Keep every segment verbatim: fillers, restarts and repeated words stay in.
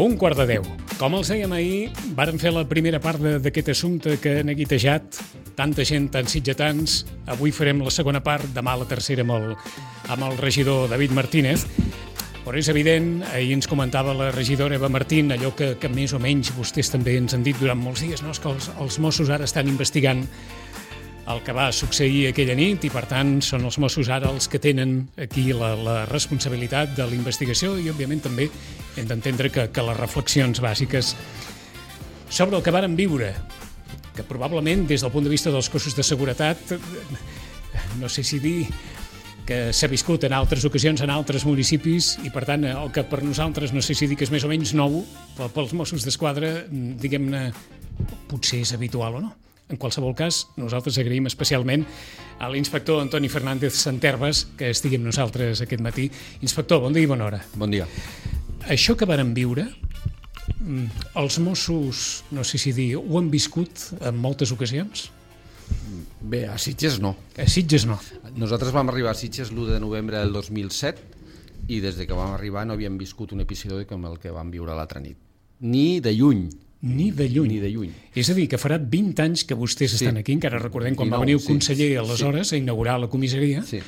Un quart de deu. Com els dèiem ahir, vàrem fer la primera part d'aquest assumpte que ha neguitejat tanta gent, tants sitgetans. Avui farem la segona part, demà la tercera amb el, amb el regidor David Martínez. Però és evident, ahir ens comentava la regidora Eva Martín, allò que, que més o menys vostès també ens han dit durant molts dies, no? És que els, els Mossos ara estan investigant el que va succeir aquella nit i, per tant, són els Mossos ara els que tenen aquí la, la responsabilitat de la investigació i, òbviament, també hem d'entendre que, que les reflexions bàsiques sobre el que varen viure, que probablement, des del punt de vista dels cossos de seguretat, no sé si dir que s'ha viscut en altres ocasions, en altres municipis, i, per tant, el que per nosaltres, no sé si dir que és més o menys nou, pels Mossos d'Esquadra, diguem-ne, potser és habitual o no. En qualsevol cas, nosaltres agraïm especialment a l'inspector Antoni Fernández Santerves que estigui amb nosaltres aquest matí. Inspector, bon dia i bona hora. Bon dia. Això que varen viure, els Mossos, no sé si dir, ho han viscut en moltes ocasions? Bé, a Sitges no. A Sitges no. Nosaltres vam arribar a Sitges l'u de novembre del dos mil set i des de que vam arribar no havíem viscut un episodi com el que vam viure l'altra nit. Ni de lluny. Ni de lluny. Ni de lluny. És a dir, que farà vint anys que vostès sí. estan aquí, encara recordem quan dinou, va venir el sí, conseller sí, aleshores sí. a inaugurar la comissaria, sí.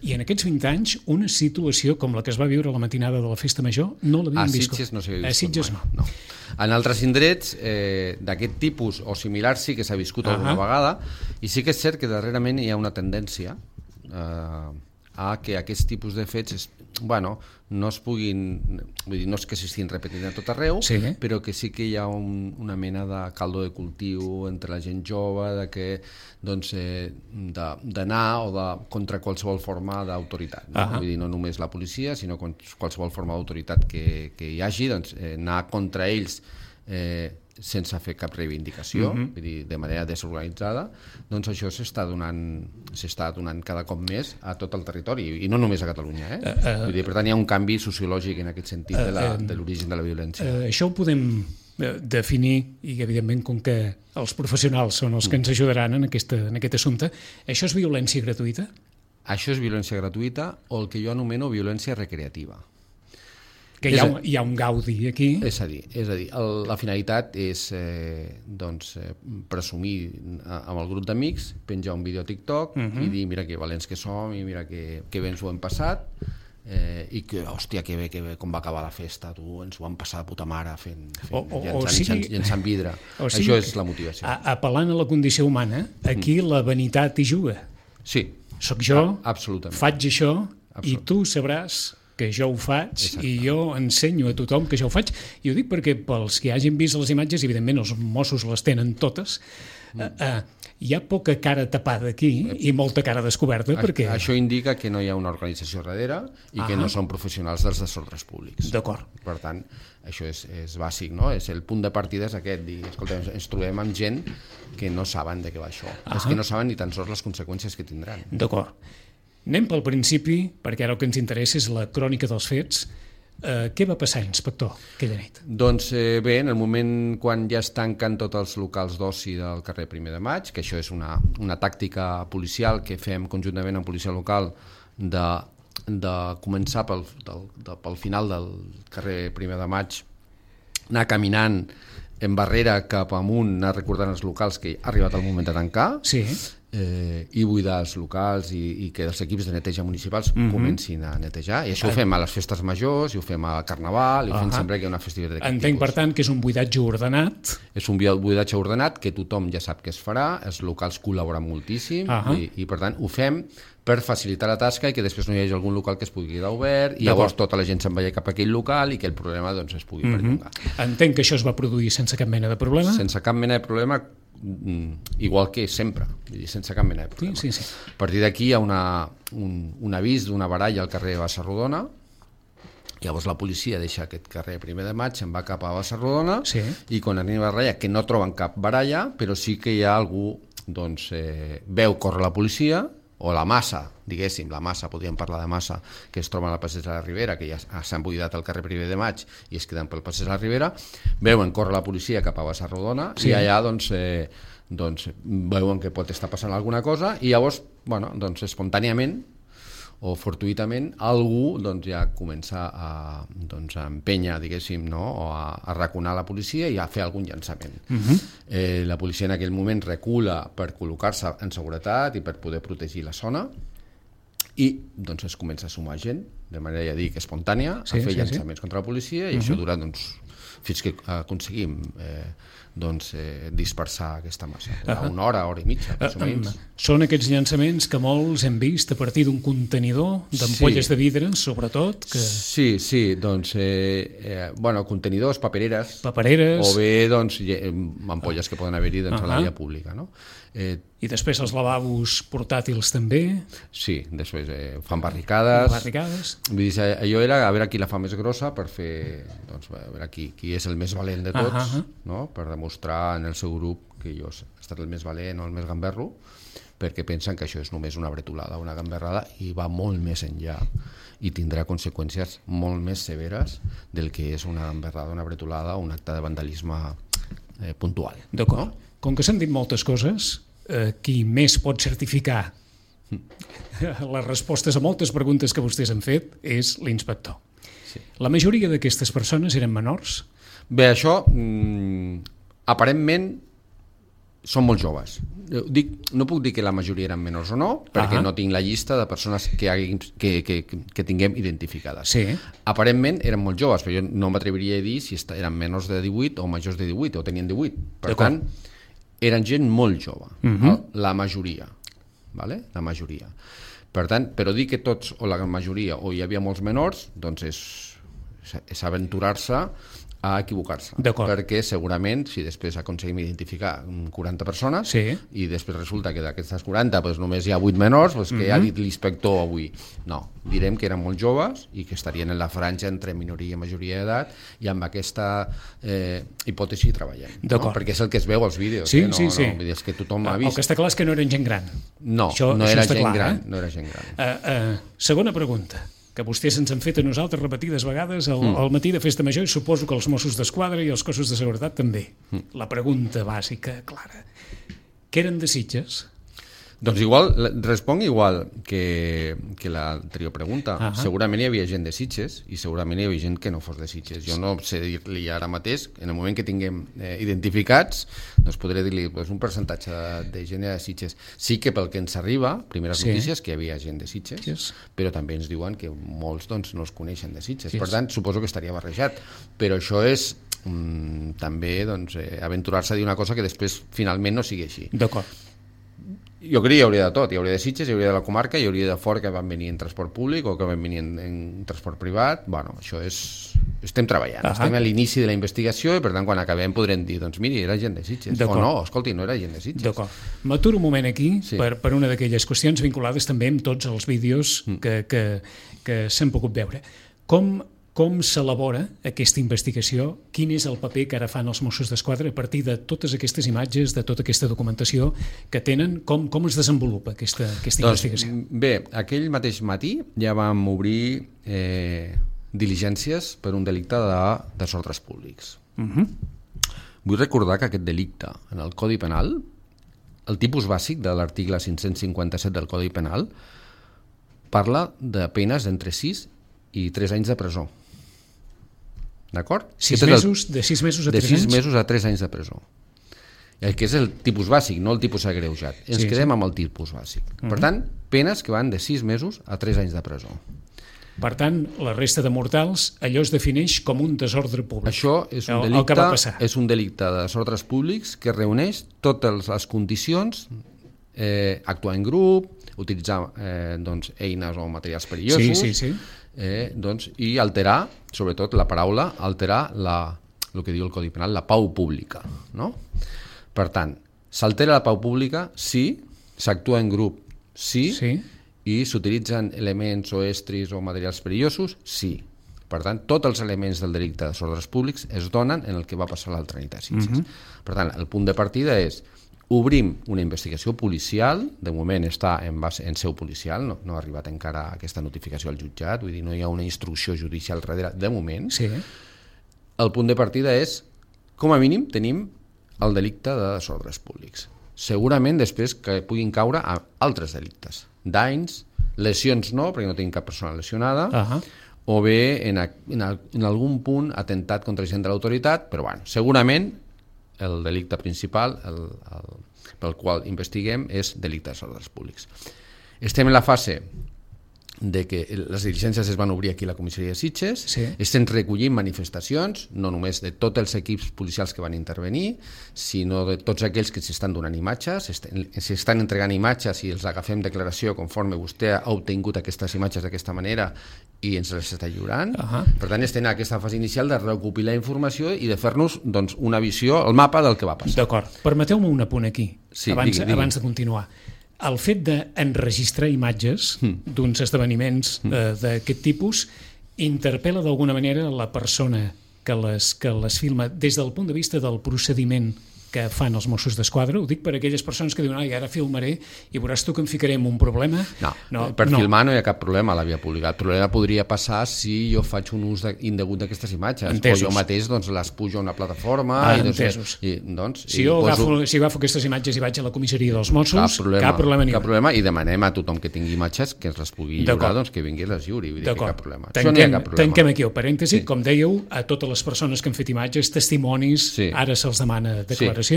I en aquests vint anys una situació com la que es va viure la matinada de la Festa Major no l'havíem viscut. A Sitges no s'havia viscut A Sitges mai. no. no. En altres indrets eh, d'aquest tipus o similars sí que s'ha viscut uh-huh. alguna vegada i sí que és cert que darrerament hi ha una tendència eh, a que aquests tipus de fets es, bueno, no es puguin, vull dir, no és que s'estiguin repetint a tot arreu, sí. però que sí que hi ha un, una mena de caldo de cultiu entre la gent jove, de que doncs, eh, d'anar o de, contra qualsevol forma d'autoritat. No? Uh-huh. Vull dir, no només la policia, sinó qualsevol forma d'autoritat que, que hi hagi, doncs, eh, anar contra ells eh, sense fer cap reivindicació, uh-huh. vull dir, de manera desorganitzada, doncs això s'està donant, s'està donant cada cop més a tot el territori, i no només a Catalunya. Eh? Uh, uh, vull dir, per tant, hi ha un canvi sociològic en aquest sentit uh, uh, de l'origen de la violència. Uh, això ho podem definir, i evidentment, com que els professionals són els que ens ajudaran en, aquesta, en aquest assumpte, això és violència gratuïta? Això és violència gratuïta o el que jo anomeno violència recreativa. Que hi ha, un, hi ha un gaudi aquí. És a dir, és a dir el, la finalitat és eh, doncs, eh, presumir amb el grup d'amics, penjar un vídeo a TikTok uh-huh. i dir mira que valents que som i mira que, que bé ens ho hem passat eh, i que, hòstia, que bé, que bé, com va acabar la festa, tu, ens ho vam passar de puta mare fent, fent o, o, llançant, o sigui, llançant vidre. O sigui, això és la motivació. A, apel·lant a la condició humana, aquí mm. la vanitat hi juga. Sí. Soc jo, a, absolutament. faig això i tu sabràs que jo ho faig. Exacte. I jo ensenyo a tothom que jo ho faig, i ho dic perquè pels que hagin vist les imatges, evidentment els Mossos les tenen totes, mm. uh, uh, hi ha poca cara tapada aquí i molta cara descoberta. A, perquè... Això indica que no hi ha una organització darrere i ah. que no són professionals dels desordres públics. D'acord. Per tant, això és, és bàsic, no? És el punt de partida és aquest, dir, escolta, ens trobem amb gent que no saben de què va això, ah. és que no saben ni tan sols les conseqüències que tindran. D'acord. Anem pel principi, perquè ara el que ens interessa és la crònica dels fets. Eh, què va passar, inspector, aquella nit? Doncs eh, bé, en el moment quan ja es tanquen tots els locals d'oci del carrer Primer de Maig, que això és una, una tàctica policial que fem conjuntament amb policia local de, de començar pel, del, de, pel final del carrer Primer de Maig, anar caminant en barrera cap amunt, anar recordant els locals que ha arribat el moment de tancar, sí. Eh, i buidar els locals i, i que els equips de neteja municipals mm-hmm. comencin a netejar, i això ho fem a les festes majors i ho fem al Carnaval i ho fem uh-huh. sempre que hi ha una festivitat d'aquest Entenc, tipus. Per tant, que és un buidatge ordenat. És un buidatge ordenat que tothom ja sap que es farà, els locals col·laboren moltíssim uh-huh. i, i per tant ho fem per facilitar la tasca i que després no hi hagi algun local que es pugui quedar obert i llavors tota la gent se'n vagi cap a aquell local i que el problema doncs, es pugui mm-hmm. perllongar. Entenc que això es va produir sense cap mena de problema? Sense cap mena de problema, igual que sempre, vull dir, sense cap mena de problema. Sí, sí, sí. A partir d'aquí hi ha una, un, un avís d'una baralla al carrer Bassa-Rodona, llavors la policia deixa aquest carrer Primer de Maig, se'n va cap a Bassa-Rodona sí. i quan arriba a baralla, que no troben cap baralla, però sí que hi ha algú, doncs, eh, veu córrer la policia, o la massa, diguéssim, la massa, podríem parlar de massa, que es troba a la passeig de la Ribera, que ja s'han buidat al carrer Primer de Maig i es queden pel passeig de la Ribera, veuen córrer la policia cap a Bassa-Rodona sí. i allà doncs, eh, doncs veuen que pot estar passant alguna cosa i llavors, bueno, doncs espontàniament o fortuïtament algú doncs, ja comença a, doncs, a empènyer, diguéssim, no? O a, a raconar la policia i a fer algun llançament. Uh-huh. eh, la policia en aquell moment recula per col·locar-se en seguretat i per poder protegir la zona i doncs, es comença a sumar gent de manera, ja dic, espontània sí, a fer sí, llançaments sí. contra la policia i uh-huh. això dura doncs, fins que aconseguim eh, doncs, eh, dispersar aquesta massa. Uh-huh. Una hora, hora i mitja, més o menys. Uh, són aquests llançaments que molts hem vist a partir d'un contenidor d'ampolles sí. de vidre, sobretot. Que... Sí, sí, doncs, eh, eh, bueno, contenidors, papereres, papereres, o bé doncs, ampolles que poden haver-hi doncs, uh-huh. a la via pública, no? Eh, I després els lavabos portàtils també. Sí, després eh, fan barricades. barricades. Vull dir, allò era a veure qui la fa més grossa per fer, doncs, a veure qui, qui és el més valent de tots, uh-huh. no? Per demostrar en el seu grup que jo he estat el més valent o el més gamberro, perquè pensen que això és només una bretolada, una gamberrada, i va molt més enllà i tindrà conseqüències molt més severes del que és una gamberrada, una bretolada o un acte de vandalisme eh, puntual. D'acord. No? Com que s'han dit moltes coses, eh, qui més pot certificar les respostes a moltes preguntes que vostès han fet és l'inspector. Sí. La majoria d'aquestes persones eren menors? Bé, això, mm, aparentment, són molt joves. Dic, no puc dir que la majoria eren menors o no, perquè uh-huh. no tinc la llista de persones que, haguin, que, que, que tinguem identificades. Sí. Aparentment eren molt joves, però jo no m'atreviria a dir si eren menors de divuit o majors de divuit, o tenien divuit. Per tant, eren gent molt jove, uh-huh. la majoria, vale? La majoria. Per tant, però dir que tots, o la majoria, o hi havia molts menors, doncs és, és aventurar-se a equivocar-se, perquè segurament si després aconseguim identificar quaranta persones sí. i després resulta que d'aquestes quaranta pues, només hi ha vuit menors, pues, que mm-hmm. ha dit l'inspector avui. No, direm que eren molt joves i que estarien en la franja entre minoria i majoria d'edat i amb aquesta eh, hipòtesi treballem, no? Perquè és el que es veu als vídeos, sí, eh? no, sí, sí. no, és que tothom ha vist. El que està clar és que no eren gent gran. No, això, no, era gent clar, gran, eh? no era gent gran. Uh, uh, segona pregunta, que vostès ens han fet a nosaltres repetides vegades al, mm. al matí de Festa Major, i suposo que els Mossos d'Esquadra i els cossos de seguretat també. Mm. La pregunta bàsica, clara. Què eren de Sitges? Doncs igual, responc igual que, que l'anterior pregunta. Uh-huh. Segurament hi havia gent de Sitges i segurament hi havia gent que no fos de Sitges. Jo no sé dir-li ara mateix, en el moment que tinguem eh, identificats, doncs podré dir-li doncs, un percentatge de gent de Sitges. Sí que pel que ens arriba, primeres sí. notícies, que hi havia gent de Sitges, yes. però també ens diuen que molts doncs, no es coneixen de Sitges. Yes. Per tant, suposo que estaria barrejat. Però això és mm, també doncs, eh, aventurar-se a dir una cosa que després finalment no sigui així. D'acord. Jo crec que hi hauria de tot, hi hauria de Sitges, hi hauria de la comarca, hi hauria de fora que van venir en transport públic o que van venir en, en transport privat. Bueno, això és... Estem treballant, uh-huh. estem a l'inici de la investigació i per tant quan acabem podrem dir, doncs miri, era gent de Sitges, o no, escolti, no era gent de Sitges. D'acord. M'aturo un moment aquí sí. per, per una d'aquelles qüestions vinculades també amb tots els vídeos mm. que, que, que s'han pogut veure. Com... Com s'elabora aquesta investigació? Quin és el paper que ara fan els Mossos d'Esquadra a partir de totes aquestes imatges, de tota aquesta documentació que tenen? Com, com es desenvolupa aquesta, aquesta doncs, investigació? Bé, aquell mateix matí ja vam obrir eh, diligències per un delicte de desordres públics. Uh-huh. Vull recordar que aquest delicte en el Codi Penal, el tipus bàsic de l'article cinc-cents cinquanta-set del Codi Penal, parla de penes d'entre sis i tres anys de presó. D'acord? Sis mesos, de sis mesos a tres anys? De sis mesos a tres anys de presó. El que és el tipus bàsic, no el tipus agreujat. Ens sí, quedem sí. amb el tipus bàsic. Uh-huh. Per tant, penes que van de sis mesos a tres anys de presó. Per tant, la resta de mortals, allò es defineix com un desordre públic. Això és un delicte, el, el que va passar. És un delicte de desordres públics que reuneix totes les condicions, eh, actuar en grup, utilitzar eh, doncs, eines o materials perillosos, sí, sí, sí. Eh, doncs, i alterar, sobretot la paraula, alterar la, el que diu el Codi Penal, la pau pública. No? Per tant, s'altera la pau pública si s'actua en grup, sí, sí. i s'utilitzen elements o estris o materials perillosos, sí. Per tant, tots els elements del delicte de desordres públics es donen en el que va passar l'altra nit a Sitges. Uh-huh. Per tant, el punt de partida és obrim una investigació policial, de moment està en, base, en seu policial, no, no ha arribat encara aquesta notificació al jutjat, vull dir, no hi ha una instrucció judicial darrere, de moment. Sí. El punt de partida és, com a mínim, tenim el delicte de desordres públics. Segurament després que puguin caure a altres delictes, danys, Lesions no, perquè no tenim cap persona lesionada, uh-huh. o bé en, a, en, a, en algun punt atentat contra gent de l'autoritat, però bueno, segurament el delicte principal el, el, pel qual investiguem és delicte dels ordres públics. Estem en la fase de que les diligències es van obrir aquí a la comissaria de Sitges, sí. estem recollint manifestacions, no només de tots els equips policials que van intervenir, sinó de tots aquells que s'estan donant imatges, s'estan entregant imatges i els agafem declaració conforme vostè ha obtingut aquestes imatges d'aquesta manera i ens les està lliurant. Uh-huh. Per tant, estem en aquesta fase inicial de recopilar informació i de fer-nos doncs, una visió, el mapa del que va passar. D'acord. Permeteu-me un apunt aquí, sí, abans, digui, digui. abans de continuar. El fet d'enregistrar imatges mm. d'uns esdeveniments mm. eh, d'aquest tipus interpel·la d'alguna manera la persona que les, que les filma des del punt de vista del procediment que fan els Mossos d'Esquadra. Ho dic per aquelles persones que diuen ai, ara filmaré i veuràs tu que em ficaré en un problema. No, no per no. filmar no hi ha cap problema a la via pública. El problema podria passar si jo faig un ús de, indegut d'aquestes imatges. Entesos. O jo mateix doncs, les pujo a una plataforma. Ah, i, entesos. I, doncs, si i jo poso... agafo, si agafo aquestes imatges i vaig a la comissaria dels Mossos, cap problema, cap problema ni cap problema, i demanem a tothom que tingui imatges que ens les pugui lliurar, doncs que vingui i les lliuri. Vull dir que cap problema. Tanquem, Això no hi ha cap problema. Tanquem aquí el parèntesi. Sí. Com dèieu, a totes les persones que han fet imatges, testimonis, sí. ara se'ls demana declaració. Sí.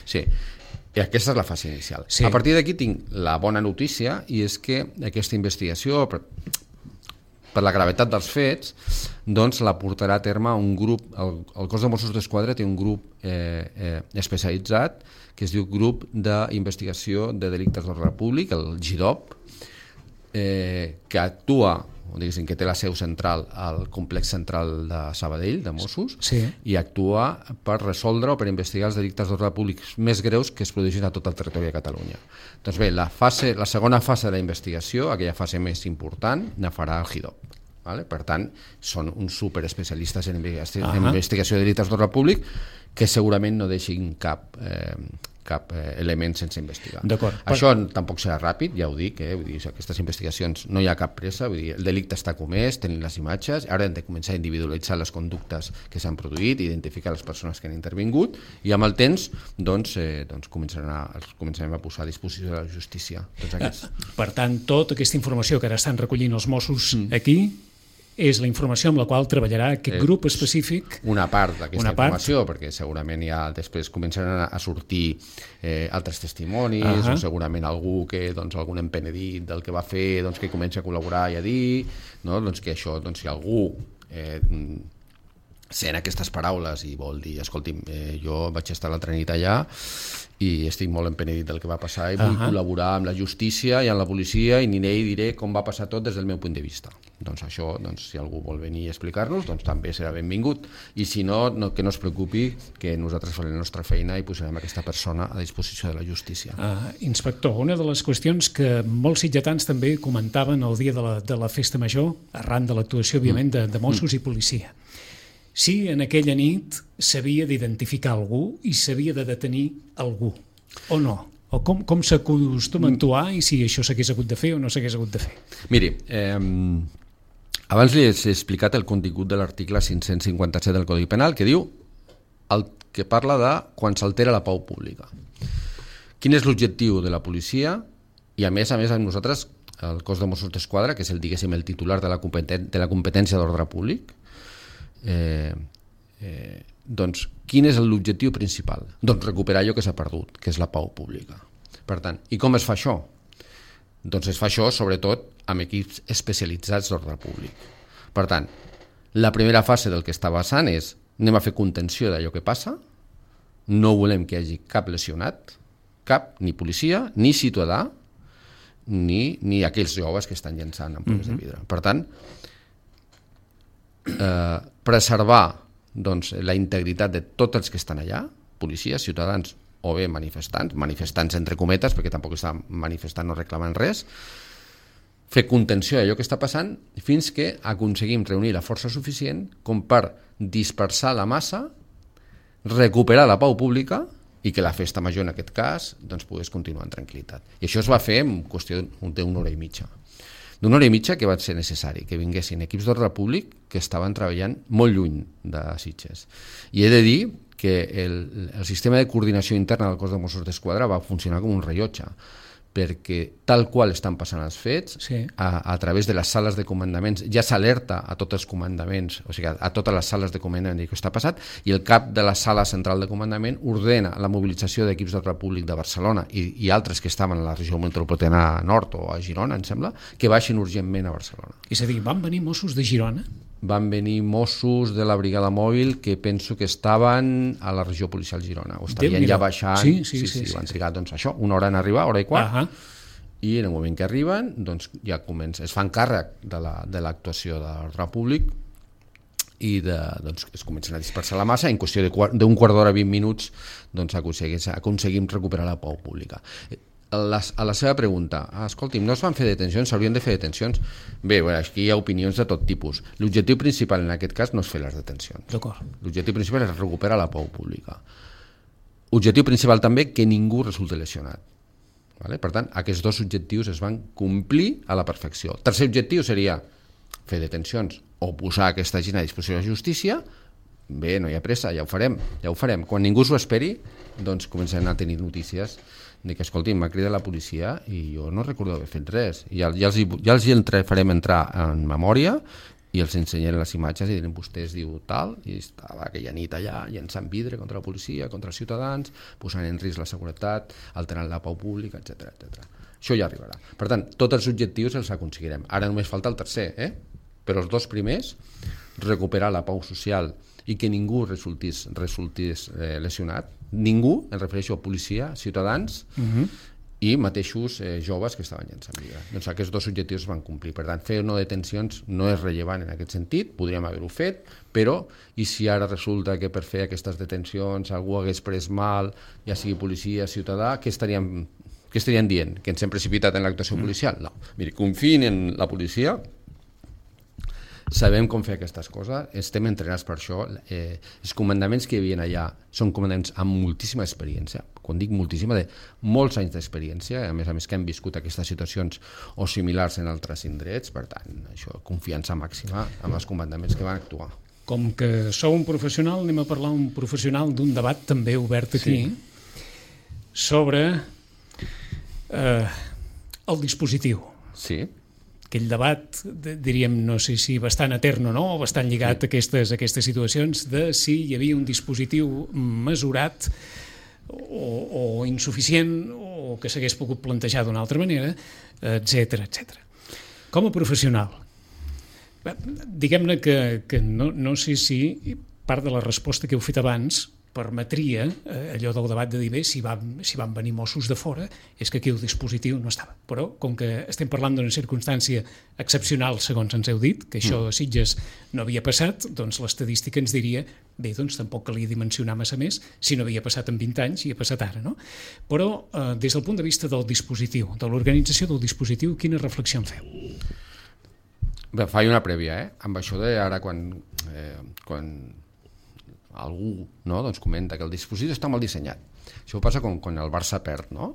sí. I aquesta és la fase inicial. Sí. A partir d'aquí tinc la bona notícia, i és que aquesta investigació, per, per la gravetat dels fets, doncs la portarà a terme un grup, el, el cos de Mossos d'Esquadra té un grup eh, eh, especialitzat que es diu Grup d'Investigació de Delictes d'Ordre Públic, el G I D O P, eh, que actua o diguéssim, que té la seu central al complex central de Sabadell, de Mossos, sí. i actua per resoldre o per investigar els delictes d'ordre públic més greus que es produeixen a tot el territori de Catalunya. Doncs bé, la, fase, la segona fase de la investigació, aquella fase més important, la farà el G I D O P. Vale? Per tant, són uns superespecialistes en investigació, uh-huh. en investigació de delictes d'ordre públic que segurament no deixin cap... Eh, cap eh, element sense investigar. Això per... tampoc serà ràpid, ja ho dic, eh? Vull dir, aquestes investigacions no hi ha cap pressa, vull dir, el delicte està comès, tenim les imatges, ara hem de començar a individualitzar les conductes que s'han produït, identificar les persones que han intervingut, i amb el temps doncs, eh, doncs començarem, a, començarem a posar a disposició de la justícia. Tots aquests. Per tant, tota aquesta informació que ara estan recollint els Mossos mm. aquí és la informació amb la qual treballarà aquest eh, grup específic. Una part d'aquesta informació, perquè segurament ja després començaran a sortir eh, altres testimonis, uh-huh. o segurament algú que, doncs, algun empenedit del que va fer, doncs, que comença a col·laborar i a dir, no? Doncs que això, doncs, si algú eh, sent aquestes paraules i vol dir, escolti'm, eh, jo vaig estar l'altra nit allà i estic molt empenedit del que va passar i vull uh-huh. col·laborar amb la justícia i amb la policia i aniré i diré com va passar tot des del meu punt de vista. Doncs això, doncs, si algú vol venir a explicar-nos, doncs també serà benvingut. I si no, no, que no es preocupi, que nosaltres farem la nostra feina i posarem aquesta persona a disposició de la justícia. Uh, inspector, una de les qüestions que molts sitgetans també comentaven el dia de la, de la festa major, arran de l'actuació, òbviament, de, de Mossos mm. i policia. Si en aquella nit s'havia d'identificar algú i s'havia de detenir algú, o no? O com, com s'acostuma a actuar i si això s'hagués hagut de fer o no s'hagués hagut de fer? Miri, eh, abans li he explicat el contingut de l'article cinc-cents cinquanta-set del Codi Penal, que diu el que parla de quan s'altera la pau pública. Quin és l'objectiu de la policia? I a més a més amb nosaltres, el cos de Mossos d'Esquadra, que és el, diguéssim, el titular de la, competen- de la competència d'ordre públic, Eh, eh, doncs quin és l'objectiu principal? Doncs recuperar allò que s'ha perdut, que és la pau pública. Per tant, i com es fa això? Doncs es fa això sobretot amb equips especialitzats d'ordre públic. Per tant, la primera fase del que està basant és anem a fer contenció d'allò que passa, no volem que hi hagi cap lesionat, cap, ni policia, ni ciutadà, ni, ni aquells joves que estan llançant ampolles mm-hmm. de vidre. Per tant, Eh, preservar doncs, la integritat de tots els que estan allà, policies, ciutadans o bé manifestants, manifestants entre cometes perquè tampoc estan manifestant o reclamant res, fer contenció d'allò que està passant fins que aconseguim reunir la força suficient com per dispersar la massa, recuperar la pau pública i que la festa major en aquest cas doncs, pogués continuar en tranquil·litat. I això es va fer en qüestió d'una hora i mitja. D'una hora i mitja que va ser necessari, que vinguessin equips d'ordre públic que estaven treballant molt lluny de Sitges. I he de dir que el, el sistema de coordinació interna del cos de Mossos d'Esquadra va funcionar com un rellotge, perquè tal qual estan passant els fets, sí. a, a través de les sales de comandaments, ja s'alerta a tots els comandaments, o sigui, a, a totes les sales de comandament que està passat, i el cap de la sala central de comandament ordena la mobilització d'equips d'ordre públic de Barcelona i, i altres que estaven a la regió metropolitana nord o a Girona, em sembla, que baixin urgentment a Barcelona. És a dir, van venir Mossos de Girona? Van venir Mossos de la brigada mòbil que penso que estaven a la regió policial Girona, o estarien ja baixant, sí, sí, sí, sí, sí, sí, van sí. trigar doncs, això, una hora en arribar, hora i quart, uh -huh. i en el moment que arriben doncs, ja comença, es fan càrrec de l'actuació la, de l'ordre públic i de, doncs, es comencen a dispersar la massa, en qüestió d'un quart d'hora, vint minuts, doncs aconseguim, aconseguim recuperar la pau pública. A la, a la seva pregunta, ah, escolti'm, no es van fer detencions, s'haurien de fer detencions? Bé, bueno, aquí hi ha opinions de tot tipus. L'objectiu principal en aquest cas no és fer les detencions. L'objectiu principal és recuperar la pau pública. Objectiu principal també que ningú resulti lesionat. Vale? Per tant, aquests dos objectius es van complir a la perfecció. El tercer objectiu seria fer detencions o posar aquesta gent a disposició de la justícia. Bé, no hi ha pressa, ja ho farem, ja ho farem. Quan ningú s'ho esperi, doncs comencem a tenir notícies de que, escolti'm, m'ha cridat la policia i jo no recordo haver fet res. Ja, ja els, hi, ja els hi entre, farem entrar en memòria i els ensenyaré les imatges i diran, vostès diu tal, i estava aquella nit allà llançant vidre contra la policia, contra els ciutadans, posant en risc la seguretat, alterant la pau pública, etcètera, etcètera. Això ja arribarà. Per tant, tots els objectius els aconseguirem. Ara només falta el tercer, eh? Però els dos primers, recuperar la pau social i que ningú resultís, resultís eh, lesionat, ningú, em refereixo a policia, ciutadans, uh-huh. i mateixos eh, joves que estaven llançant vidre. Doncs aquests dos objectius es van complir. Per tant, fer no detencions no és rellevant en aquest sentit, podríem haver-ho fet, però i si ara resulta que per fer aquestes detencions algú hagués pres mal, ja sigui policia, ciutadà, què estaríem, què estarien dient? Que ens hem precipitat en l'actuació mm. policial? No. Miri, confiïn en la policia, sabem com fer aquestes coses, estem entrenats per això, eh, els comandaments que hi havia allà són comandaments amb moltíssima experiència, quan dic moltíssima, de molts anys d'experiència, a més a més que han viscut aquestes situacions o similars en altres indrets, per tant, això, confiança màxima amb els comandaments que van actuar. Com que sou un professional, anem a parlar un professional d'un debat també obert aquí, sí. sobre eh, el dispositiu. Sí. Aquell debat, diríem, no sé si bastant etern o no, bastant lligat sí. a aquestes, a aquestes situacions de si hi havia un dispositiu mesurat o, o insuficient o que s'hagués pogut plantejar d'una altra manera, etcètera, etcètera. Com a professional, diguem-ne que, que no, no sé si part de la resposta que heu fet abans permetria eh, allò del debat de dir bé, si van, si van venir Mossos de fora és que aquí el dispositiu no estava, però com que estem parlant d'una circumstància excepcional segons ens heu dit, que això a Sitges no havia passat, doncs l'estadística ens diria bé, doncs tampoc calia dimensionar massa més si no havia passat en vint anys i ha passat ara, no? Però eh, des del punt de vista del dispositiu, de l'organització del dispositiu, quina reflexió en feu? Bé, faig una prèvia, eh? Amb això de ara quan, eh, quan algú no, doncs comenta que el dispositiu està mal dissenyat. Això passa quan, quan el Barça perd, no?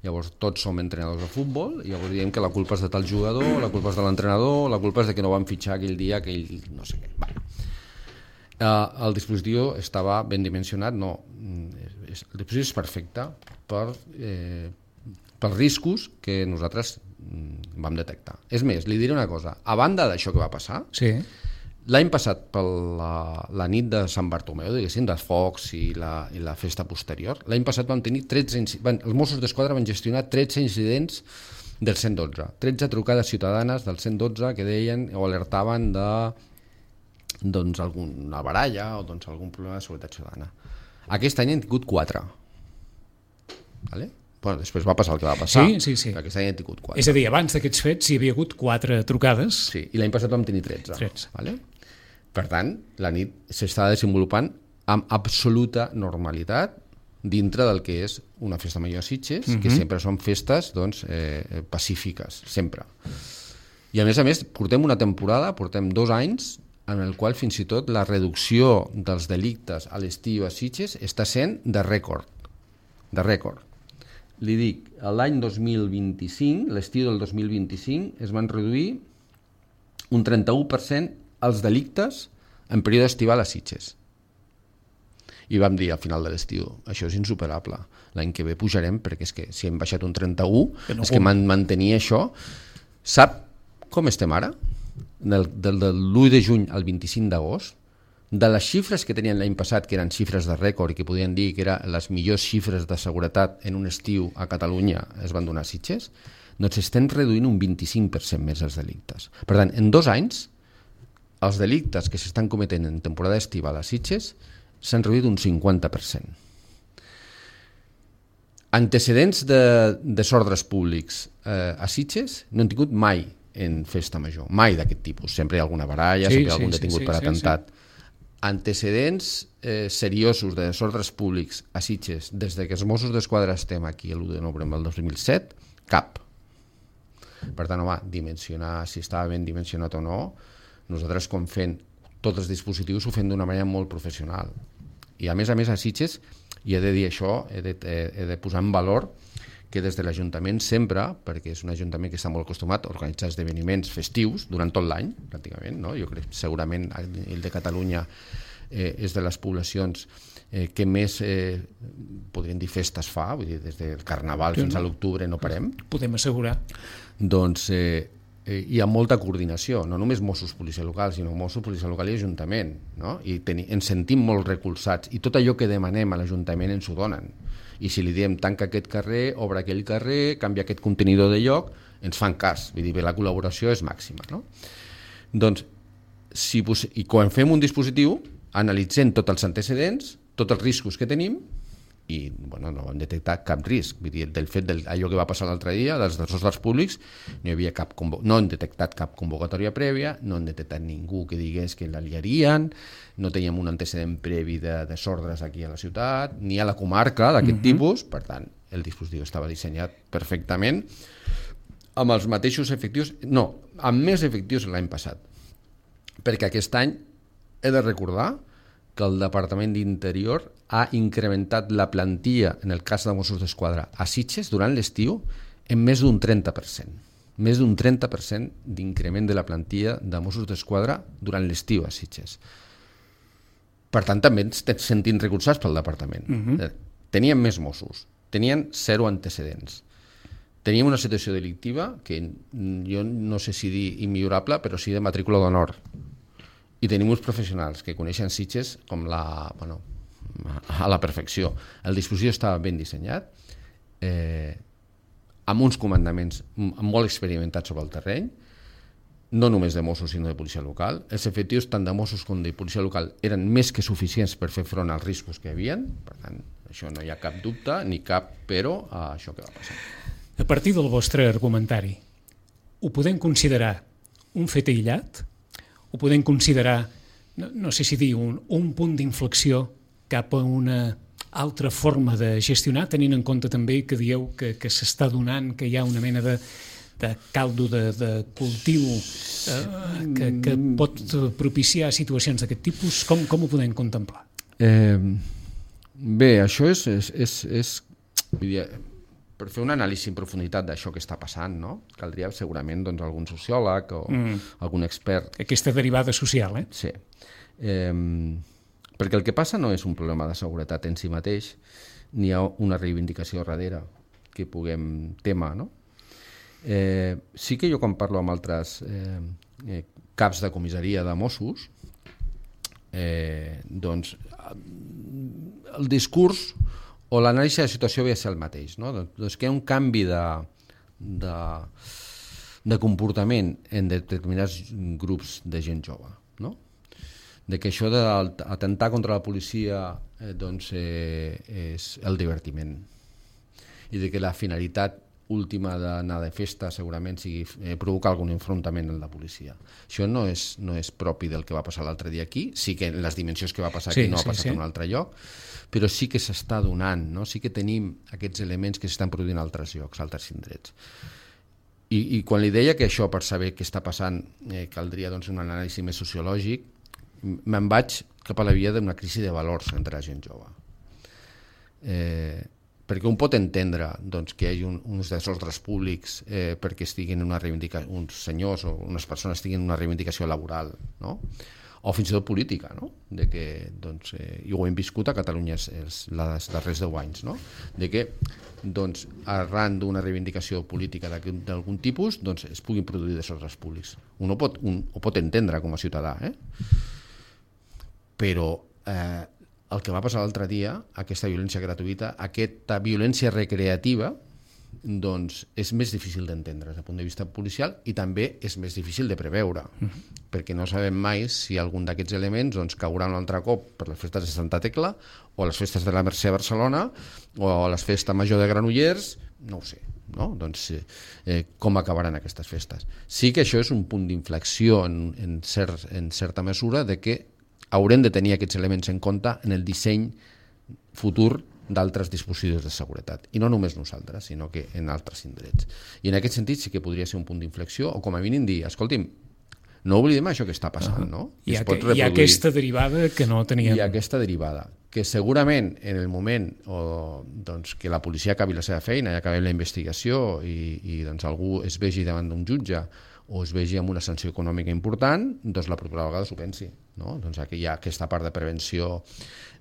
Llavors tots som entrenadors de futbol i llavors diem que la culpa és de tal jugador, la culpa és de l'entrenador, la culpa és de que no van fitxar aquell dia, aquell no sé què. Vale. Uh, el dispositiu estava ben dimensionat, no. El dispositiu és perfecte per, eh, pels riscos que nosaltres vam detectar. És més, li diré una cosa. A banda d'això que va passar, sí. l'any passat, per la, la nit de Sant Bartomeu, diguéssim, dels focs i la, i la festa posterior, l'any passat vam tenir tretze, van, els Mossos d'Esquadra van gestionar tretze incidents del cent dotze, tretze trucades ciutadanes del cent dotze que deien o alertaven de doncs, alguna baralla o doncs, algun problema de seguretat ciutadana. Aquest any hem tingut quatre. Vale? Bueno, després va passar el que va passar, sí, sí, sí. que aquest any hem tingut quatre. És a dir, abans d'aquests fets hi havia hagut quatre trucades. Sí, i l'any passat vam tenir tretze. tretze. Vale? Per tant, la nit s'està desenvolupant amb absoluta normalitat dintre del que és una festa major a Sitges, uh-huh. que sempre són festes doncs, eh, pacífiques, sempre. I a més a més, portem una temporada, portem dos anys, en el qual fins i tot la reducció dels delictes a l'estiu a Sitges està sent de rècord. De rècord. Li dic, l'any dos mil vint-i-cinc, l'estiu del dos mil vint-i-cinc, es van reduir un trenta-u per cent els delictes en període estival a Sitges. I vam dir al final de l'estiu, això és insuperable, l'any que ve pujarem, perquè és que si hem baixat un trenta-u, no és que man mantenir això. Sap com estem ara? Del, del, del l'u de juny al vint-i-cinc d'agost, de les xifres que tenien l'any passat, que eren xifres de rècord i que podien dir que eren les millors xifres de seguretat en un estiu a Catalunya, es van donar a Sitges, doncs estem reduint un vint-i-cinc per cent més els delictes. Per tant, en dos anys, els delictes que s'estan cometent en temporada estival a Sitges s'han reduït un cinquanta per cent. Antecedents de desordres públics eh, a Sitges no han tingut mai en festa major, mai d'aquest tipus. Sempre hi ha alguna baralla, sí, sempre hi ha algun sí, detingut sí, per sí, atemptat. Sí, sí. Antecedents eh, seriosos de desordres públics a Sitges des de que els Mossos d'Esquadra estem aquí l'u de novembre del dos mil set, cap. Per tant, home, dimensionar si estava ben dimensionat o no, nosaltres com fent tots els dispositius ho fem d'una manera molt professional. I a més a més a Sitges, i he de dir això, he de, he de posar en valor que des de l'Ajuntament sempre, perquè és un ajuntament que està molt acostumat a organitzar esdeveniments festius durant tot l'any, pràcticament, no? Jo crec que segurament el de Catalunya eh, és de les poblacions eh, que més, eh, podríem dir, festes fa, vull dir, des del Carnaval fins a l'octubre no parem. Podem assegurar. Doncs eh, eh, hi ha molta coordinació, no només Mossos Policia Local, sinó Mossos Policia Local i Ajuntament, no? I teni, ens sentim molt recolzats, i tot allò que demanem a l'Ajuntament ens ho donen. I si li diem tanca aquest carrer, obre aquell carrer, canvia aquest contenidor de lloc, ens fan cas, vull dir, la col·laboració és màxima, no? Doncs, si, i quan fem un dispositiu, analitzem tots els antecedents, tots els riscos que tenim, i bueno, no vam detectar cap risc. Vull dir, del fet d'allò que va passar l'altre dia, dels desordres públics, no hi havia cap no han detectat cap convocatòria prèvia, no han detectat ningú que digués que la liarien, no teníem un antecedent previ de desordres aquí a la ciutat, ni a la comarca d'aquest uh-huh. tipus, per tant, el dispositiu estava dissenyat perfectament, amb els mateixos efectius, no, amb més efectius l'any passat. Perquè aquest any he de recordar que el Departament d'Interior ha incrementat la plantilla, en el cas de Mossos d'Esquadra, a Sitges durant l'estiu en més d'un trenta per cent. Més d'un trenta per cent d'increment de la plantilla de Mossos d'Esquadra durant l'estiu a Sitges. Per tant, també ens sentim recolzats pel Departament. Uh-huh. Teníem més Mossos, tenien zero antecedents. Teníem una situació delictiva que jo no sé si dir immillorable, però sí de matrícula d'honor. I tenim uns professionals que coneixen Sitges com la, bueno, a la perfecció. El dispositiu estava ben dissenyat, eh, amb uns comandaments molt experimentats sobre el terreny, no només de Mossos sinó de policia local. Els efectius tant de Mossos com de policia local eren més que suficients per fer front als riscos que hi havia, per tant, això no hi ha cap dubte ni cap però a això que va passar. A partir del vostre argumentari, ho podem considerar un fet aïllat? Ho podem considerar, no, no sé si dir, un, un punt d'inflexió cap a una altra forma de gestionar, tenint en compte també que dieu que, que s'està donant, que hi ha una mena de, de caldo de, de cultiu eh, que, que pot propiciar situacions d'aquest tipus? Com, com ho podem contemplar? Eh, bé, això és... és, és, és vull dir, per fer una anàlisi en profunditat d'això que està passant, no? Caldria segurament doncs, algun sociòleg o mm. algun expert. Aquesta derivada social, eh? Sí. Eh, perquè el que passa no és un problema de seguretat en si mateix, ni hi ha una reivindicació darrere que puguem tema, no? Eh, sí que jo quan parlo amb altres eh, eh, caps de comissaria de Mossos, eh, doncs el discurs o l'anàlisi de la situació ve a ser el mateix, no? Doncs que hi ha un canvi de, de, de comportament en determinats grups de gent jove, no? De que això d'atemptar contra la policia eh, doncs, eh, és el divertiment i de que la finalitat última d'anar de festa segurament sigui eh, provocar algun enfrontament amb la policia. Això no és, no és propi del que va passar l'altre dia aquí, sí que en les dimensions que va passar aquí sí, no sí, ha passat sí. en un altre lloc, però sí que s'està donant, no? Sí que tenim aquests elements que s'estan produint en altres llocs, altres indrets. I, i quan li deia que això, per saber què està passant, eh, caldria doncs, un anàlisi més sociològic, me'n vaig cap a la via d'una crisi de valors entre la gent jove. Eh, perquè un pot entendre doncs, que hi hagi un, uns desordres públics eh, perquè estiguin una reivindicació, uns senyors o unes persones estiguin una reivindicació laboral, no? o fins i tot política, no? De que, doncs, eh, i ho hem viscut a Catalunya els, els, els darrers deu anys, no? De que, doncs, arran d'una reivindicació política d'algun tipus, doncs, es puguin produir desordres públics. Un ho pot, un, ho pot entendre com a ciutadà, eh? Però eh, el que va passar l'altre dia, aquesta violència gratuïta, aquesta violència recreativa, doncs és més difícil d'entendre des del punt de vista policial i també és més difícil de preveure, uh-huh. perquè no sabem mai si algun d'aquests elements doncs, caurà un altre cop per les festes de Santa Tecla o les festes de la Mercè a Barcelona o a les festes major de Granollers, no ho sé, no? Doncs, eh, com acabaran aquestes festes. Sí que això és un punt d'inflexió en, en, cert, en certa mesura de que haurem de tenir aquests elements en compte en el disseny futur d'altres dispositius de seguretat. I no només nosaltres, sinó que en altres indrets. I en aquest sentit sí que podria ser un punt d'inflexió, o com a mínim dir, escolti'm, no oblidem això que està passant, no? Hi ha, que, hi ha aquesta derivada que no teníem. Hi ha aquesta derivada, que segurament en el moment o, doncs, que la policia acabi la seva feina i acabi la investigació i, i doncs, algú es vegi davant d'un jutge o es vegi amb una sanció econòmica important, doncs la propera vegada s'ho pensi. No? Doncs aquí hi ha aquesta part de prevenció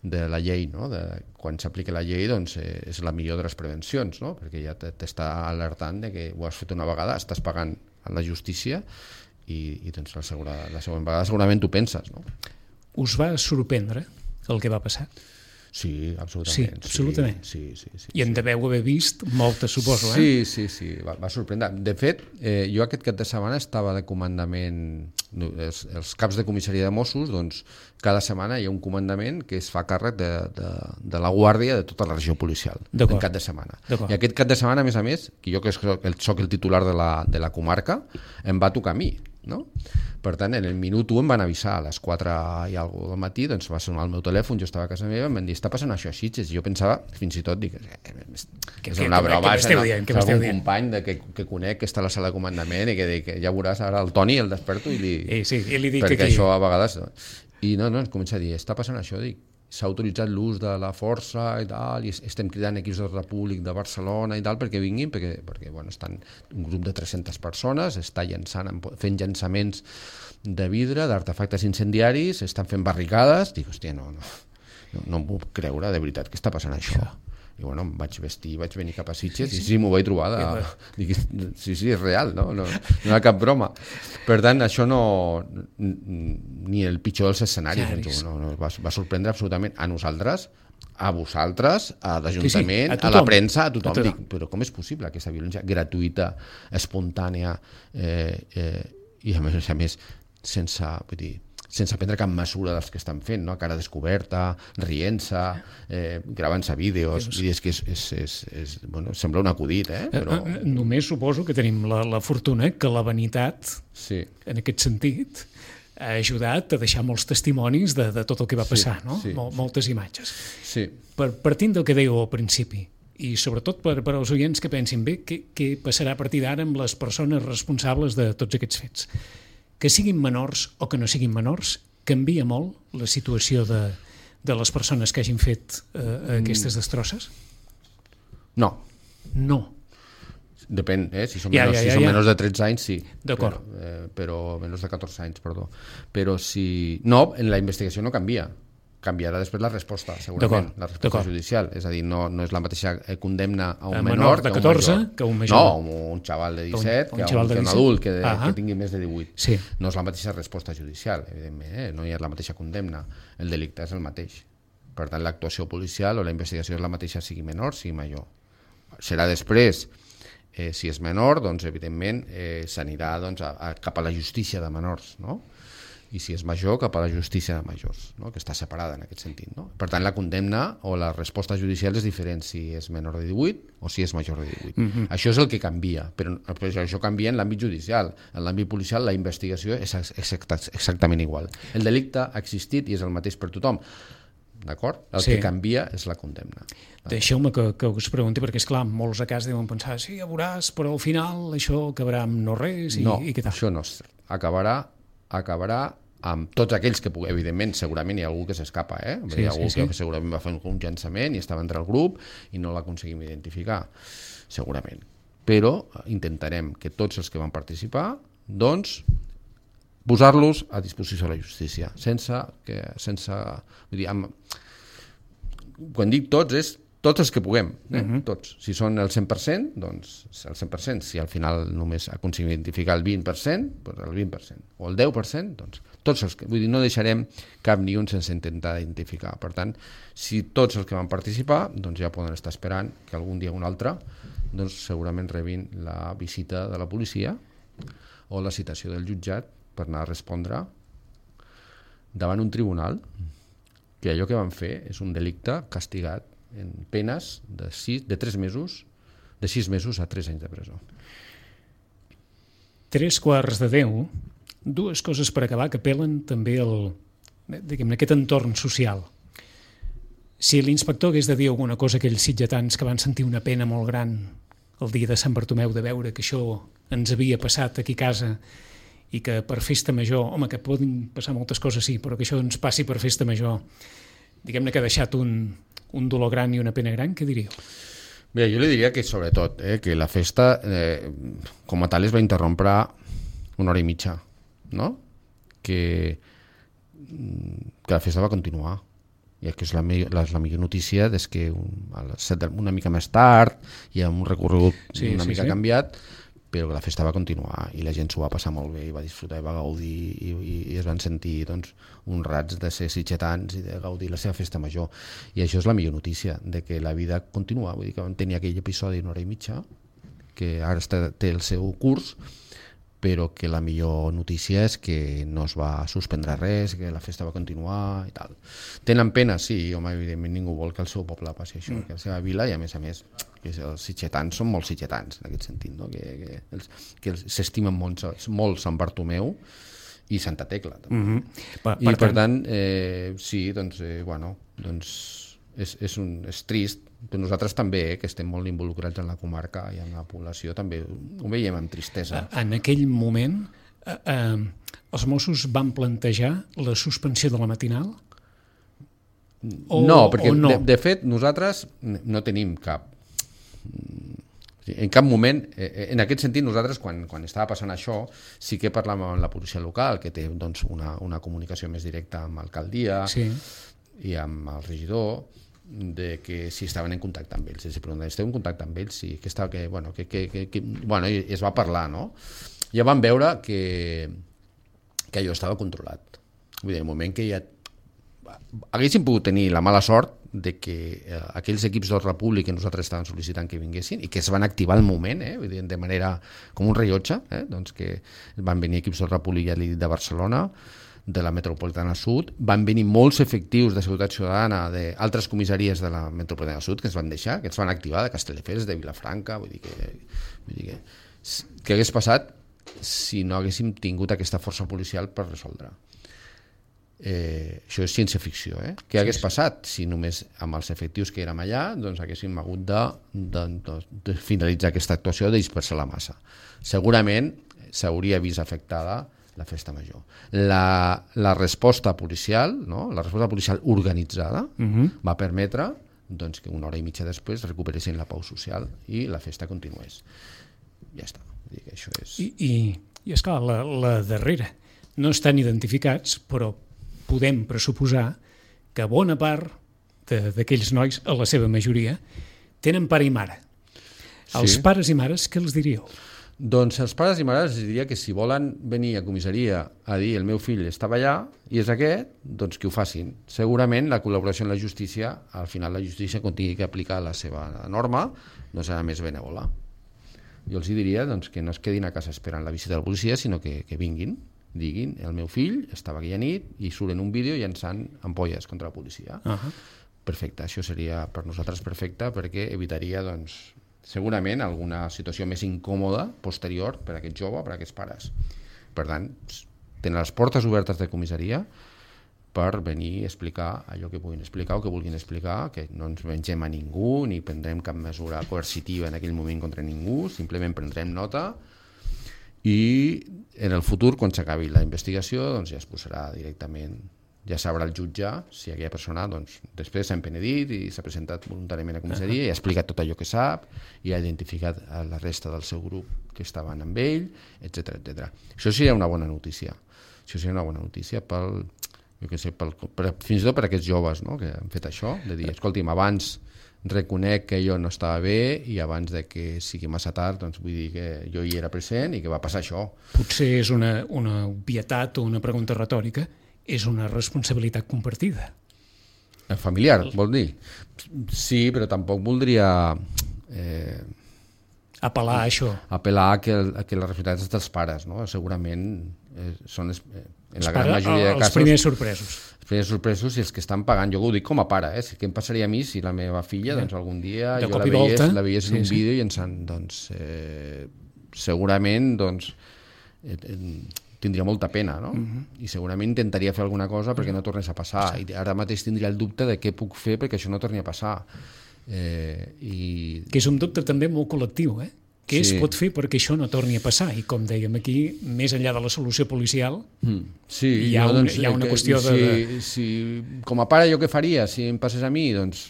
de la llei, no? De, quan s'aplica la llei doncs, eh, és la millor de les prevencions, no? Perquè ja t'està alertant de que ho has fet una vegada, estàs pagant a la justícia i, i doncs, la, segura, la següent vegada segurament tu penses. No? Us va sorprendre el que va passar? Sí, absolutament. Sí, absolutament. Sí, sí, sí, sí, I en sí. deveu haver vist moltes, suposo, eh? Sí, sí, sí, va, va sorprendre. De fet, eh, jo aquest cap de setmana estava de comandament, els, els caps de comissaria de Mossos, doncs cada setmana hi ha un comandament que es fa càrrec de, de, de la guàrdia de tota la regió policial, en cap de setmana. I aquest cap de setmana, a més a més, que jo que soc el, soc el titular de la, de la comarca, em va tocar a mi. No? Per tant, en el minut u em van avisar a les quatre i alguna del matí, doncs va sonar el meu telèfon, jo estava a casa meva, em van dir, està passant això a Sitges, i jo pensava, fins i tot, dic, eh, que, és una broma, és algun company de, que, que conec que està a la sala de comandament i que dic, ja veuràs ara el Toni, el desperto i li, eh, sí, i li dic perquè aquí. Això a vegades, i no, no, em comença a dir, està passant això, dic, s'ha autoritzat l'ús de la força i tal, i estem cridant equips d'ordre públic de Barcelona i tal perquè vinguin, perquè, perquè bueno, estan un grup de tres-centes persones, està llançant, fent llançaments de vidre, d'artefactes incendiaris, estan fent barricades, dic, hòstia, no, no, no, no em puc creure, de veritat, que està passant això. I bueno, em vaig vestir, vaig venir cap a Sitges i sí, m'ho vaig trobar de... Dic, sí, sí, és real, no? No, no hi ha cap broma. Per tant, això no... ni el pitjor dels escenaris, no, no, va, va sorprendre absolutament a nosaltres, a vosaltres, a l'Ajuntament, sí, sí, a, a la premsa, a tothom. A tothom. Dic, però com és possible aquesta violència gratuïta, espontània, eh, eh, i a més a més, sense... Vull dir, sense prendre cap mesura dels que estan fent, no? Cara descoberta, rient-se, eh, gravant-se vídeos, i és que és, és, és, és, bueno, sembla un acudit, eh? Però... Només suposo que tenim la, la fortuna que la vanitat, sí. En aquest sentit, ha ajudat a deixar molts testimonis de, de tot el que va passar, sí, no? Sí, Mol, moltes imatges. Sí. Per, partint del que dèieu al principi, i sobretot per, per als oients que pensin bé què, què passarà a partir d'ara amb les persones responsables de tots aquests fets. Que siguin menors o que no siguin menors, canvia molt la situació de, de les persones que hagin fet eh, aquestes destrosses? No. No. Depèn, eh? Si són, ja, menors, ja, ja, si són ja. menors de tretze anys, sí. D'acord. Però, eh, però menors de catorze anys, perdó. Però si... No, en la investigació no canvia. Canviarà després la resposta, segurament, la resposta judicial. És a dir, no, no és la mateixa condemna a un a menor, menor de catorze que a un major. No, un xaval de disset que a un, que un adult que, de, que tingui més de divuit. Sí. No és la mateixa resposta judicial, evidentment, eh? No hi ha la mateixa condemna. El delicte és el mateix. Per tant, l'actuació policial o la investigació és la mateixa, sigui menor, sigui major. Serà després, eh, si és menor, doncs, evidentment, eh, s'anirà doncs, a, a, cap a la justícia de menors, no? I si és major, cap a la justícia de majors, no? Que està separada en aquest sentit. No? Per tant, la condemna o la resposta judicial és diferent si és menor de divuit o si és major de divuit. Mm-hmm. Això és el que canvia, però, però això canvia en l'àmbit judicial. En l'àmbit policial la investigació és exactament igual. El delicte ha existit i és el mateix per tothom. D'acord? El sí. que canvia és la condemna. Deixeu-me que, que us pregunti, perquè, esclar, molts a casa deuen pensar, sí, ja veuràs, però al final això acabarà amb no res i, no, i què tal? Això no és cert. Acabarà acabarà amb tots aquells que, evidentment, segurament hi ha algú que s'escapa, eh? Sí, hi ha algú sí, sí. que segurament va fer un llançament i estava entre el grup i no l'aconseguim identificar, segurament. Però intentarem que tots els que van participar, doncs, posar-los a disposició de la justícia, sense que, sense, vull dir, amb, quan dic tots és tots els que puguem, eh? Uh-huh. Tots. Si són el cent per cent, doncs el cent per cent. Si al final només aconseguim identificar el vint per cent, doncs el vint per cent. O el deu per cent, doncs tots els que... Vull dir, no deixarem cap ni un sense intentar identificar. Per tant, si tots els que van participar, doncs ja poden estar esperant que algun dia o un altre doncs segurament rebin la visita de la policia o la citació del jutjat per anar a respondre davant un tribunal que allò que van fer és un delicte castigat en penes de, sis, de tres mesos, de sis mesos a tres anys de presó. Tres quarts de deu, dues coses per acabar que apel·len també al, diguem-ne, aquest entorn social. Si l'inspector hagués de dir alguna cosa a aquells sitgetans que van sentir una pena molt gran el dia de Sant Bartomeu de veure que això ens havia passat aquí a casa i que per festa major, home, que poden passar moltes coses, sí, però que això ens passi per festa major, diguem-ne que ha deixat un, un dolor gran i una pena gran, què diríeu? Bé, jo li diria que sobretot, eh, que la festa eh, com a tal es va interrompre una hora i mitja, no? Que, que la festa va continuar. I que és la, me la, la millor notícia des que un, a les set, una mica més tard hi ha un recorregut sí, una sí, mica sí. canviat, però la festa va continuar i la gent s'ho va passar molt bé i va disfrutar i va gaudir i, i, i es van sentir doncs, honrats de ser sitgetans i de gaudir la seva festa major. I això és la millor notícia, de que la vida continua. Vull dir que vam tenir aquell episodi d'una hora i mitja, que ara està, té el seu curs, però que la millor notícia és que no es va suspendre res, que la festa va continuar i tal. Tenen pena, sí, home, evidentment ningú vol que el seu poble passi això, mm. que la seva vila, i a més a més que els sitgetans són molt sitgetans en aquest sentit, no? que, que, els, que s'estimen molt, molt Sant Bartomeu i Santa Tecla també. Mm-hmm. per, I per, per tant, eh, sí, doncs, eh, bueno, doncs és, és, un, és trist, però nosaltres també, eh, que estem molt involucrats en la comarca i en la població, també ho veiem amb tristesa. En aquell moment, eh, eh, els Mossos van plantejar la suspensió de la matinal? O, no, perquè no? De, de fet nosaltres no tenim cap... En cap moment, eh, en aquest sentit, nosaltres, quan, quan estava passant això, sí que parlàvem amb la policia local, que té doncs, una, una comunicació més directa amb l'alcaldia sí. i amb el regidor, de que si estaven en contacte amb ells. Si preguntaven, esteu en contacte amb ells? Sí, que estava, que, bueno, que, que, que, que, bueno, i es va parlar, no? Ja vam veure que, que allò estava controlat. Vull dir, en el moment que ja haguéssim pogut tenir la mala sort de que eh, aquells equips d'ordre públic que nosaltres estàvem sol·licitant que vinguessin i que es van activar al moment, eh, vull dir, de manera com un rellotge, eh, doncs que van venir equips d'ordre públic, ja l'he dit, de Barcelona, de la Metropolitana Sud, van venir molts efectius de Seguretat Ciutadana d'altres comissaries de la Metropolitana Sud que es van deixar, que es van activar, de Castelldefels, de Vilafranca, vull dir que, vull dir que què hagués passat si no haguéssim tingut aquesta força policial per resoldre. Eh, això és ciència-ficció, eh? Què hagués passat si només amb els efectius que érem allà doncs haguéssim hagut de, de, de, de finalitzar aquesta actuació, de dispersar la massa? Segurament s'hauria vist afectada la festa major. La, la resposta policial, no? La resposta policial organitzada uh-huh. va permetre doncs, que una hora i mitja després recuperessin la pau social i la festa continués. Ja està. Vull dir que això és... I, i, i esclar, la, la darrera no estan identificats, però podem pressuposar que bona part d'aquells nois, a la seva majoria, tenen pare i mare. Sí. Els pares i mares, què els diríeu? Doncs els pares i mares els diria que si volen venir a comissaria a dir el meu fill estava allà i és aquest, doncs que ho facin. Segurament la col·laboració amb la justícia, al final la justícia quan tingui que aplicar la seva norma, no serà més benèvola. Jo els diria doncs, que no es quedin a casa esperant la visita de la policia, sinó que, que vinguin, diguin el meu fill estava aquella nit i surten un vídeo llançant ampolles contra la policia. Uh-huh. Perfecte, això seria per nosaltres perfecte perquè evitaria doncs, segurament alguna situació més incòmoda posterior per a aquest jove, per a aquests pares. Per tant, tenen les portes obertes de comissaria per venir a explicar allò que puguin explicar o que vulguin explicar, que no ens vengem a ningú ni prendrem cap mesura coercitiva en aquell moment contra ningú, simplement prendrem nota i en el futur, quan s'acabi la investigació, doncs ja es posarà directament, ja sabrà el jutge si aquella persona doncs, després s'ha empenedit i s'ha presentat voluntàriament a comissaria i ha explicat tot allò que sap i ha identificat a la resta del seu grup que estaven amb ell, etcètera, etcètera. Això seria una bona notícia. això seria una bona notícia pel, jo què sé, pel, per, fins i tot per aquests joves, no?, que han fet això, de dir, escolti'm, abans reconec que jo no estava bé i abans de que sigui massa tard, doncs vull dir que jo hi era present i que va passar això. Potser és una, una obvietat o una pregunta retòrica, és una responsabilitat compartida. Familiar, vol dir? Sí, però tampoc voldria... Eh, apel·lar a això. Apel·lar a que, a que les responsabilitats és dels pares, no? Segurament eh, són les, eh, en la gran majoria de casos... Els primers sorpresos. Els primers sorpresos i els que estan pagant. Jo ho dic com a pare, eh? Què em passaria a mi si la meva filla, doncs algun dia de jo la veiés, la veiés en sí, un vídeo sí. i ens han, doncs, eh, segurament, doncs, eh, tindria molta pena, no? Uh-huh. I segurament intentaria fer alguna cosa perquè no tornés a passar. Sí. I ara mateix tindria el dubte de què puc fer perquè això no torni a passar. Eh, i... Que és un dubte també molt col·lectiu, eh? Què sí. es pot fer perquè això no torni a passar? I com dèiem aquí, més enllà de la solució policial, mm. sí, hi, ha un, doncs, hi ha una que, qüestió de... Si, si, com a pare jo què faria si em passés a mi? Doncs,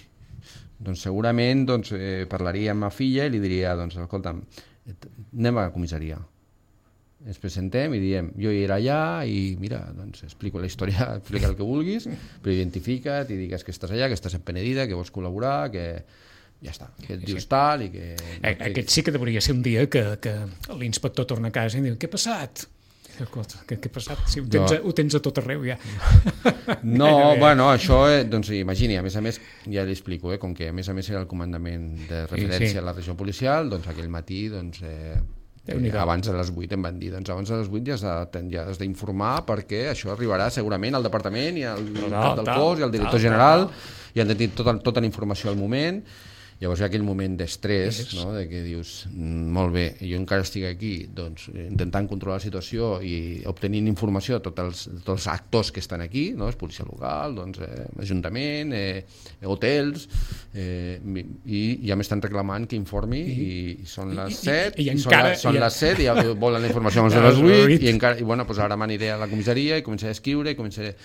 doncs segurament doncs, eh, parlaria amb ma filla i li diria, doncs, escolta'm, anem a la comissaria. Ens presentem i diem, jo hi era allà i mira, doncs explico la història, explica el que vulguis, però identifica't i digues que estàs allà, que estàs empenedida, que vols col·laborar, que... ja està, que et dius tal i que... Aquest sí que devia ser un dia que, que l'inspector torna a casa i diu, què ha passat? Què ha passat? Si ho tens, ho tens a tot arreu ja. No, bueno, això, doncs imagini, a més a més, ja li explico, eh, com que a més a més era el comandament de referència sí, sí. a la regió policial, doncs aquell matí, doncs... Eh, Eh, abans de les vuit em van dir, doncs abans de les vuit ja has, de, ja has d'informar perquè això arribarà segurament al departament i al no, cap del tal, cos i al director tal, general tal, tal. I han de tenir tota, tota la informació al moment. Llavors hi ha aquell moment d'estrès, no? De que dius, molt bé, jo encara estic aquí doncs, intentant controlar la situació i obtenint informació de tots els, tots els actors que estan aquí, no? És policia local, doncs, eh, ajuntament, eh, hotels, eh, i ja m'estan reclamant que informi i, i són les set, i, i, i encara, són, són i... les set i ja volen la informació abans de les vuit i, encara, i bueno, doncs ara m'aniré a la comissaria i començaré a escriure i començaré...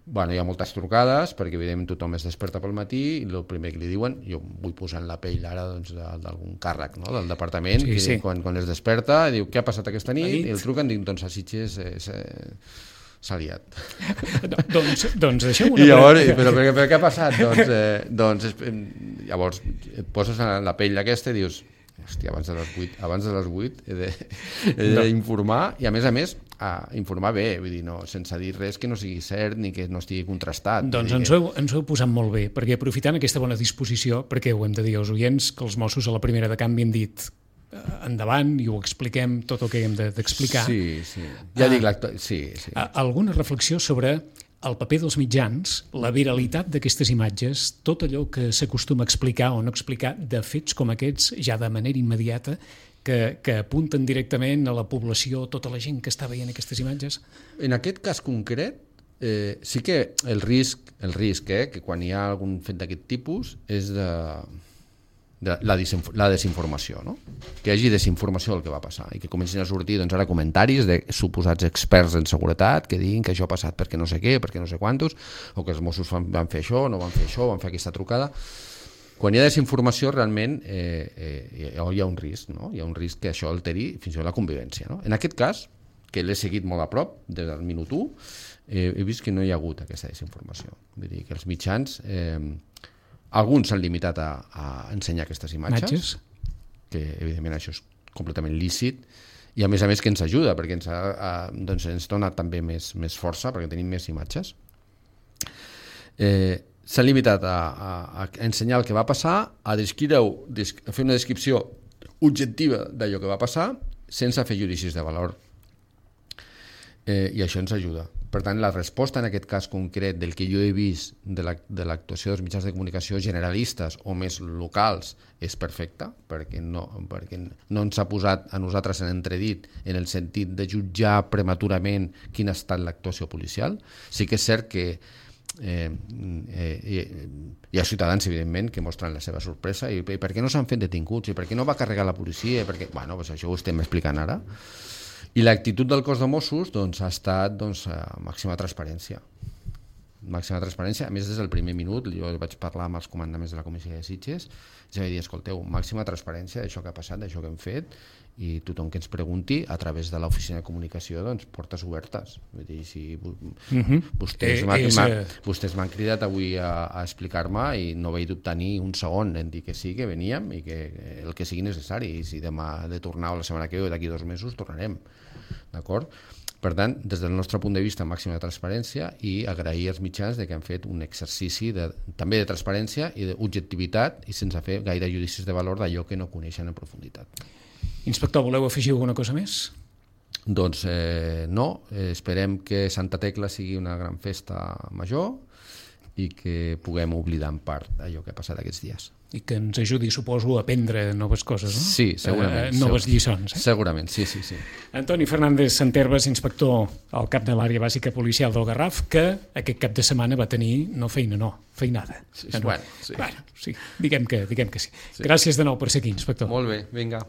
Bueno, hi ha moltes trucades, perquè evidentment tothom es desperta pel matí i el primer que li diuen, jo vull posar en la pell ara doncs, d'algun càrrec, no? Del departament, sí, que sí. Quan, quan es desperta diu què ha passat aquesta nit, nit. I el truquen, dic, doncs a Sitges eh, s'ha liat. No, doncs, doncs deixem una... I llavors, però, però, però què ha passat? Doncs, eh, doncs llavors et poses en la pell aquesta i dius, hòstia, abans de les vuit, abans de les vuit he d'informar no. I a més a més a informar bé, vull dir, no, sense dir res que no sigui cert ni que no estigui contrastat. Doncs ens ho, heu, ens ho heu posat molt bé, perquè aprofitant aquesta bona disposició, perquè ho hem de dir als oients, que els Mossos a la primera de canvi han dit endavant i ho expliquem tot el que hem d'explicar. Sí, sí. Ja dic l'actor... Sí, sí. Alguna reflexió sobre el paper dels mitjans, la viralitat d'aquestes imatges, tot allò que s'acostuma a explicar o no explicar de fets com aquests ja de manera immediata, que, que apunten directament a la població, tota la gent que està veient aquestes imatges? En aquest cas concret, eh, sí que el risc, el risc eh, que quan hi ha algun fet d'aquest tipus és de... de la, la desinformació, no? Que hi hagi desinformació del que va passar i que comencin a sortir doncs, ara comentaris de suposats experts en seguretat que diguin que això ha passat perquè no sé què, perquè no sé quantos, o que els Mossos van, van fer això, no van fer això, van fer aquesta trucada. Quan hi ha desinformació realment eh, eh, hi ha un risc, no? Hi ha un risc que això alteri fins i tot la convivència, no? En aquest cas, que l'he seguit molt a prop des del minut u, eh, he vist que no hi ha hagut aquesta desinformació. Vull dir que els mitjans... Eh, alguns s'han limitat a, a ensenyar aquestes imatges, imatges, que evidentment això és completament lícit, i a més a més que ens ajuda, perquè ens, ha, a, doncs ens dona també més, més força, perquè tenim més imatges. Eh, s'han limitat a, a, a ensenyar el que va passar, a, descriure, a fer una descripció objectiva d'allò que va passar, sense fer judicis de valor. Eh, I això ens ajuda. Per tant, la resposta en aquest cas concret del que jo he vist de l'actuació dels mitjans de comunicació generalistes o més locals és perfecta, perquè no, perquè no ens ha posat a nosaltres en entredit en el sentit de jutjar prematurament quina ha estat l'actuació policial. Sí que és cert que eh, eh, hi ha ciutadans, evidentment, que mostren la seva sorpresa i, i per què no s'han fet detinguts, i per què no va carregar la policia, i per què... Bueno, doncs això ho estem explicant ara. I l'actitud del cos de Mossos doncs, ha estat doncs, màxima transparència. Màxima transparència, a més des del primer minut, jo vaig parlar amb els comandaments de la comissaria de Sitges, ja vaig dir, escolteu, màxima transparència d'això que ha passat, d'això que hem fet, i tothom que ens pregunti a través de l'oficina de comunicació, doncs, portes obertes. Vull dir, si uh-huh. vostès eh, m'han eh, vostès m'han cridat avui a, a explicar-me i no vaig dubtar ni un segon en dir que sí, que veníem i que el que sigui necessari, i si demà de tornar o la setmana que ve o d'aquí dos mesos tornarem, d'acord? Per tant, des del nostre punt de vista, màxima de transparència, i agrair als mitjans de que han fet un exercici de, també de transparència i d'objectivitat i sense fer gaire judicis de valor d'allò que no coneixen en profunditat. Inspector, voleu afegir alguna cosa més? Doncs eh, no, eh, esperem que Santa Tecla sigui una gran festa major i que puguem oblidar en part allò que ha passat aquests dies. I que ens ajudi, suposo, a aprendre noves coses, no? Sí, segurament. Eh, noves lliçons. Eh? Segurament, sí, sí, sí. Antoni Fernández Santerves, inspector al cap de l'àrea bàsica policial del Garraf, que aquest cap de setmana va tenir, no feina, no, feinada. Sí, no? Bueno, sí. Bueno, sí, diguem que, diguem que sí. sí. Gràcies de nou per ser aquí, inspector. Molt bé, vinga.